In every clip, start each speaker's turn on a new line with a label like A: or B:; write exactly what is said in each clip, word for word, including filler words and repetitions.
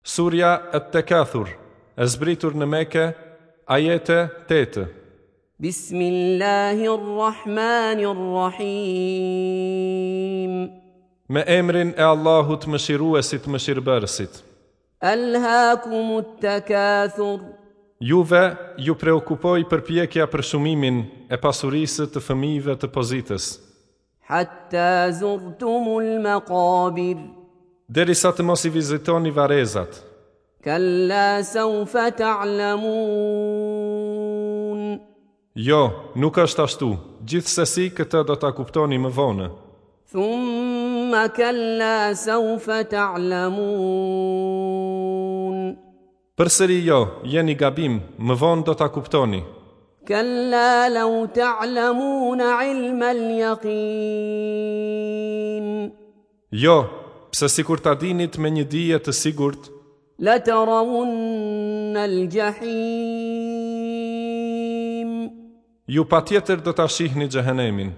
A: Surja At-Takathur, e zbritur në Mekë, ajete tetë.
B: Bismillahirrahmanirrahim.
A: Me emrin e Allahut Mëshiruesit Mëshirbërësit.
B: Alhaakumut takathur.
A: Juve ju preokupoi përpjekja për shumimin e pasurisë të fëmijëve të pozitës.
B: Hatta zurtumul maqabir.
A: Derisa të mos i vizitoni varrezat.
B: Kalla sawfa ta'lamun.
A: Jo, nuk është ashtu. Gjithsesi këtë do ta kuptoni më vonë.
B: Thumma kalla sawfa ta'lamun.
A: Përsëri jo, jeni gabim, më vonë do ta kuptoni.
B: Kalla law ta'lamun 'ilma al-yaqin.
A: Jo, pse sikur ta dinit me një dije të sigurt,
B: la tarawunna al-jahim.
A: Ju patjetër do ta shihni xhehenemin.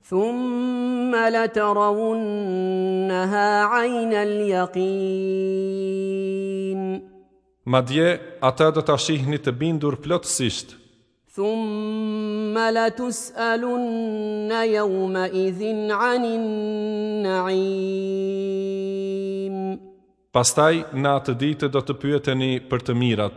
B: Thumma la tarawunnaha 'ayna al-yaqin.
A: Madje ata do ta shihni të bindur plotësisht.
B: Thumma la tus'alunna yawma idhin 'anin na'im.
A: Pastaj në atë ditë do të pyeteni për të mirat.